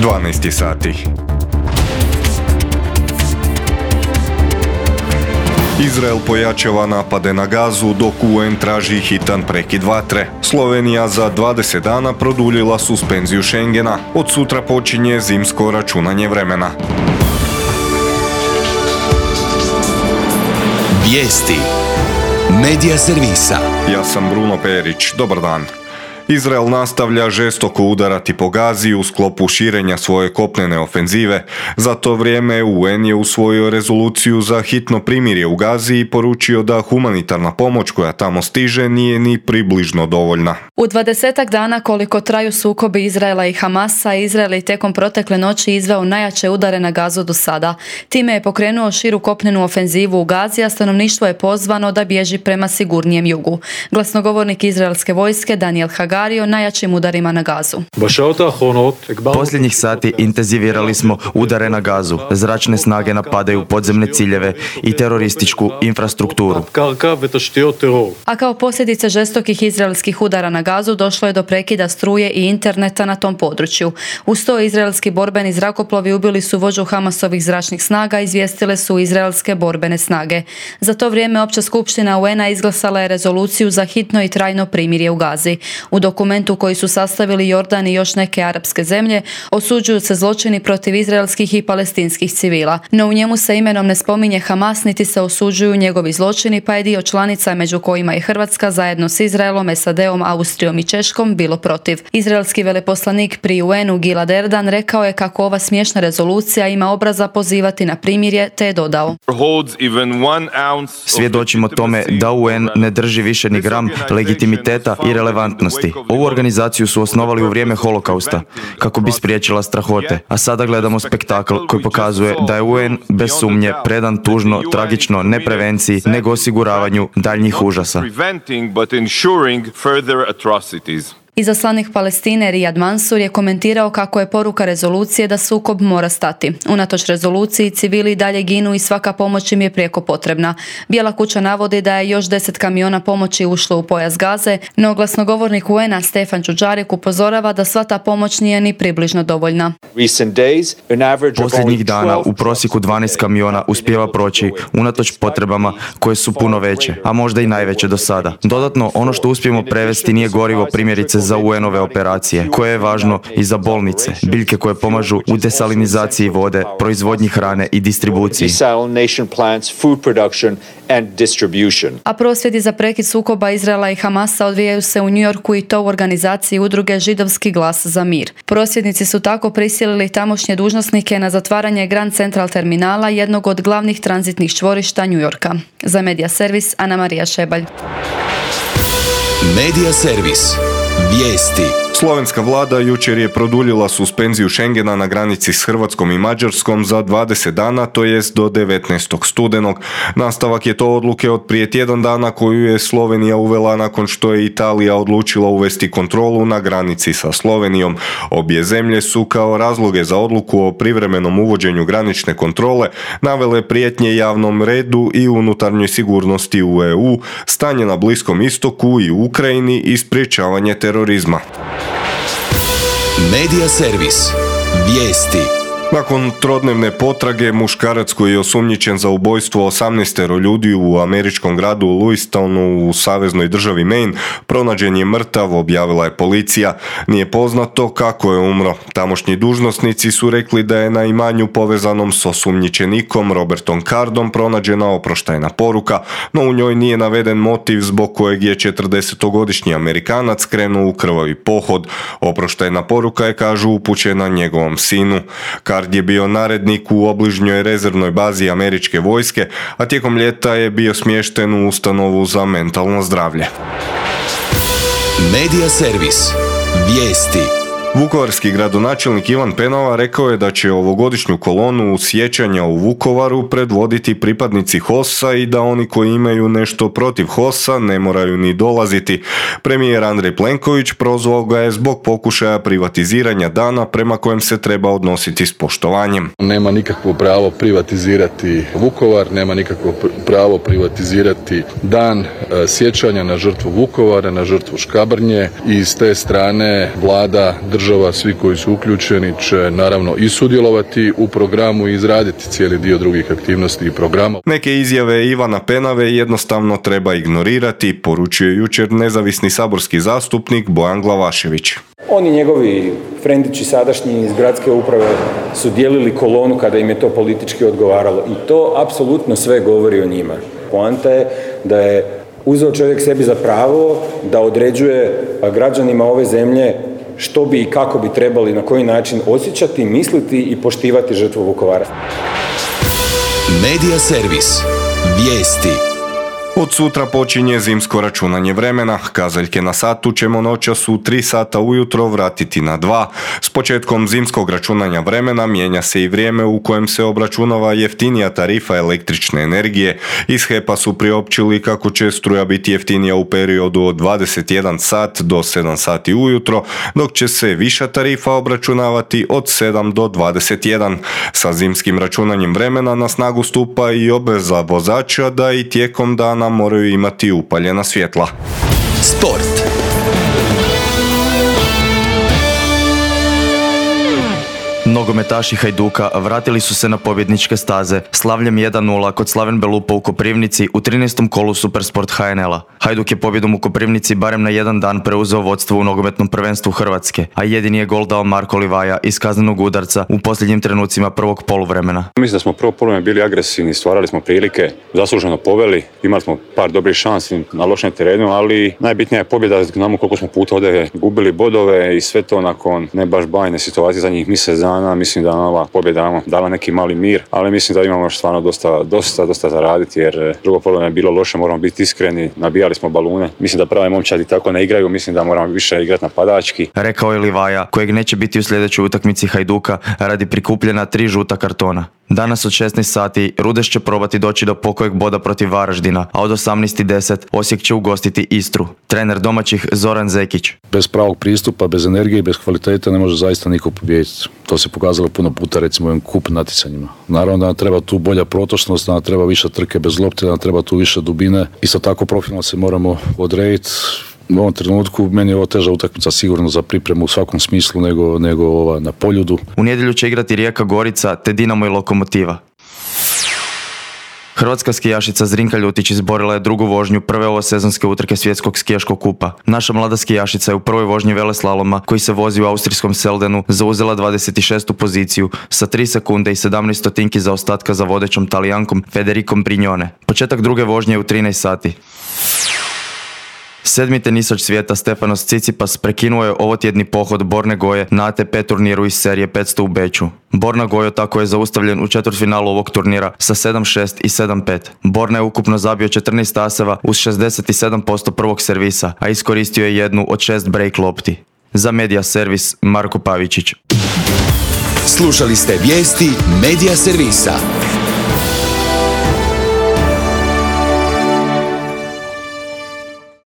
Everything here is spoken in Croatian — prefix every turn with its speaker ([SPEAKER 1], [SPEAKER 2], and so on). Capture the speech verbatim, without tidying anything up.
[SPEAKER 1] dvanaest sati. Izrael pojačava napade na Gazu dok U N traži hitan prekid vatre. Slovenija za dvadeset dana produljila suspenziju Schengena. Od sutra počinje zimsko računanje vremena.
[SPEAKER 2] Vijesti Medija servisa.
[SPEAKER 1] Ja sam Bruno Perić. Dobar dan. Izrael nastavlja žestoko udarati po Gazi u sklopu širenja svoje kopnene ofenzive. Za to vrijeme U N je usvojio rezoluciju za hitno primirje u Gazi i poručio da humanitarna pomoć koja tamo stiže nije ni približno dovoljna.
[SPEAKER 3] U dvadesetak dana koliko traju sukobi Izraela i Hamasa, Izrael je tijekom protekle noći izveo najjače udare na Gazu do sada. Time je pokrenuo širu kopnenu ofenzivu u Gazi, a stanovništvo je pozvano da bježi prema sigurnijem jugu. Glasnogovornik izraelske vojske Daniel Hagari o najjačim udarima na Gazu.
[SPEAKER 4] Posljednjih sati intenzivirali smo udare na Gazu. Zračne snage napadaju podzemne ciljeve i terorističku infrastrukturu.
[SPEAKER 3] A kao posljedice žestokih izraelskih udara na Gazu došlo je do prekida struje i interneta na tom području. Uz to izraelski borbeni zrakoplovi ubili su vođu Hamasovih zračnih snaga, izvijestile su izraelske borbene snage. Za to vrijeme Opća skupština U N-a izglasala je rezoluciju za hitno i trajno primirje u Gazi. U dokumentu koji su sastavili Jordan i još neke arapske zemlje osuđuju se zločini protiv izraelskih i palestinskih civila. No u njemu se imenom ne spominje Hamas niti se osuđuju njegovi zločini, pa je dio članica, među kojima i Hrvatska, zajedno s Izraelom, S A D-om, Austrijom i Češkom bilo protiv. Izraelski veleposlanik pri U N-u Gilad Erdan rekao je kako ova smiješna rezolucija ima obraza pozivati na primirje, te je dodao:
[SPEAKER 4] Svjedočimo tome da U N ne drži više ni gram legitimiteta i relevantnosti. Ovu organizaciju su osnovali u vrijeme holokausta kako bi spriječila strahote, a sada gledamo spektakl koji pokazuje da je U N bez sumnje predan tužno, tragično, ne prevenciji, nego osiguravanju daljnjih užasa.
[SPEAKER 3] Izaslanik Palestine Riyad Mansour je komentirao kako je poruka rezolucije da sukob mora stati. Unatoč rezoluciji, civili i dalje ginu i svaka pomoć im je prijeko potrebna. Bijela kuća navodi da je još deset kamiona pomoći ušlo u pojas Gaze, no glasnogovornik U N-a Stefan Dujarric upozorava da sva ta pomoć nije ni približno dovoljna.
[SPEAKER 4] Posljednjih dana u prosjeku dvanaest kamiona uspijeva proći unatoč potrebama koje su puno veće, a možda i najveće do sada. Dodatno, ono što uspijemo prevesti nije gorivo, primjerice za U N-ove operacije, koje je važno i za bolnice, biljke koje pomažu u desalinizaciji vode, proizvodnji hrane i distribuciji.
[SPEAKER 3] A prosvjedi za prekid sukoba Izraela i Hamasa odvijaju se u New Yorku i to u organizaciji udruge Židovski glas za mir. Prosvjednici su tako prisilili tamošnje dužnosnike na zatvaranje Grand Central terminala, jednog od glavnih tranzitnih čvorišta New Yorka. Za Medija servis Ana Marija Šebalj.
[SPEAKER 2] Medija servis. Vijesti.
[SPEAKER 1] Slovenska vlada jučer je produljila suspenziju Schengena na granici s Hrvatskom i Mađarskom za dvadeset dana, to jest do devetnaestog studenog. Nastavak je to odluke od prije tjedan dana koju je Slovenija uvela nakon što je Italija odlučila uvesti kontrolu na granici sa Slovenijom. Obje zemlje su kao razloge za odluku o privremenom uvođenju granične kontrole navele prijetnje javnom redu i unutarnjoj sigurnosti u E U, stanje na Bliskom istoku i u Ukrajini i sprječavanje terorizma.
[SPEAKER 2] Medija servis. Vijesti.
[SPEAKER 1] Nakon trodnevne potrage, muškarac koji je osumnjičen za ubojstvo osamnaestero ljudi u američkom gradu Louistonu u saveznoj državi Maine pronađen je mrtav, objavila je policija. Nije poznato kako je umro. Tamošnji dužnosnici su rekli da je na imanju povezanom s osumnjičenikom Robertom Cardom pronađena oproštajna poruka, no u njoj nije naveden motiv zbog kojeg je četrdesetogodišnji Amerikanac krenuo u krvavi pohod. Oproštajna poruka je, kažu, upućena njegovom sinu. Card je bio narednik u obližnjoj rezervnoj bazi američke vojske, a tijekom ljeta je bio smješten u ustanovu za mentalno zdravlje.
[SPEAKER 2] Medija servis. Vijesti.
[SPEAKER 1] Vukovarski gradonačelnik Ivan Penava rekao je da će ovogodišnju kolonu sjećanja u Vukovaru predvoditi pripadnici H O S-a i da oni koji imaju nešto protiv H O S-a ne moraju ni dolaziti. Premijer Andrej Plenković prozvao ga je zbog pokušaja privatiziranja dana prema kojem se treba odnositi s poštovanjem.
[SPEAKER 5] Nema nikakvo pravo privatizirati Vukovar, nema nikakvo pravo privatizirati dan sjećanja na žrtvu Vukovara, na žrtvu Škabrnje i s te strane vlada drži država, svi koji su uključeni će naravno i sudjelovati u programu i izraditi cijeli dio drugih aktivnosti i programa.
[SPEAKER 1] Neke izjave Ivana Penave jednostavno treba ignorirati, poručio je jučer nezavisni saborski zastupnik Bojan Glavašević.
[SPEAKER 6] Oni njegovi frendići sadašnji iz gradske uprave su dijelili kolonu kada im je to politički odgovaralo i to apsolutno sve govori o njima. Poanta je da je uzeo čovjek sebi za pravo da određuje građanima ove zemlje što bi i kako bi trebali, na koji način osjećati, misliti i poštivati žrtvu Vukovara.
[SPEAKER 2] Medija servis. Vijesti.
[SPEAKER 1] Od sutra počinje zimsko računanje vremena. Kazaljke na satu ćemo noćas u tri sata ujutro vratiti na dva. S početkom zimskog računanja vremena mijenja se i vrijeme u kojem se obračunava jeftinija tarifa električne energije. Iz H E P-a su priopćili kako će struja biti jeftinija u periodu od dvadeset jedan sat do sedam sati ujutro, dok će se viša tarifa obračunavati od sedam do dvadeset jedan. Sa zimskim računanjem vremena na snagu stupa i obveza vozača da i tijekom dana moraju imati upaljena svjetla.
[SPEAKER 2] Sport.
[SPEAKER 4] Nogometaši Hajduka vratili su se na pobjedničke staze slavljem jedan nula kod Slaven Belupa u Koprivnici u trinaestom kolu Supersport H N L-a. Hajduk je pobjedom u Koprivnici barem na jedan dan preuzeo vodstvo u nogometnom prvenstvu Hrvatske, a jedini je gol dao Marko Livaja iz kaznenog udarca u posljednjim trenucima prvog poluvremena.
[SPEAKER 7] Mislim da smo prvo poluvreme bili agresivni, stvarali smo prilike, zasluženo poveli, imali smo par dobrih šansi na lošem terenu, ali najbitnija je pobjeda, znamo koliko smo puta ovdje gubili bodove i sve to nakon ne baš bajne situacije za njih mjesec dana. Mislim da ova pobjeda dala neki mali mir, ali mislim da imamo stvarno dosta, dosta, dosta zaraditi jer drugo poluvreme je bilo loše, moramo biti iskreni, nabijali smo balune. Mislim da prave momčadi tako ne igraju, mislim da moramo više igrati napadački.
[SPEAKER 4] Rekao je Livaja, kojeg neće biti u sljedećoj utakmici Hajduka radi prikupljena tri žuta kartona. Danas od šesnaest sati Rudeš će probati doći do pokojeg boda protiv Varaždina, a od osamnaest i deset Osijek će ugostiti Istru. Trener domaćih Zoran Zekić.
[SPEAKER 8] Bez pravog pristupa, bez energije i bez kvalitete ne može zaista niko pobijediti. To se pokazalo puno puta recimo u ovim kup natjecanjima. Naravno da nam treba tu bolja protočnost, da nam treba više trke bez lopte, da nam treba tu više dubine. Isto tako profilno se moramo odrediti. U ovom trenutku meni je ovo teža utakmica sigurno za pripremu u svakom smislu nego, nego ova na Poljudu.
[SPEAKER 4] U nedjelju će igrati Rijeka Gorica te Dinamo i Lokomotiva. Hrvatska skijašica Zrinka Ljutić izborila je drugu vožnju prve ovosezonske utrke svjetskog skijaškog kupa. Naša mlada skijašica je u prvoj vožnji veleslaloma, koji se vozi u austrijskom Seldenu, zauzela dvadeset šestu poziciju sa tri sekunde i sedamnaest stotinki zaostatka za vodećom Talijankom Federicom Brignone. Početak druge vožnje je u trinaest sati. Sedmi tenisač svijeta Stefanos Tsitsipas prekinuo je ovotjedni pohod Borne Goje na A T P turniru iz serije petsto u Beču. Borna Gojo tako je zaustavljen u četvrtfinalu ovog turnira sa sedam šest i sedam pet. Borna je ukupno zabio četrnaest aseva uz šezdeset sedam posto prvog servisa, a iskoristio je jednu od šest break lopti. Za Medija servis Marko Pavičić.
[SPEAKER 2] Slušali ste vijesti Medija servisa.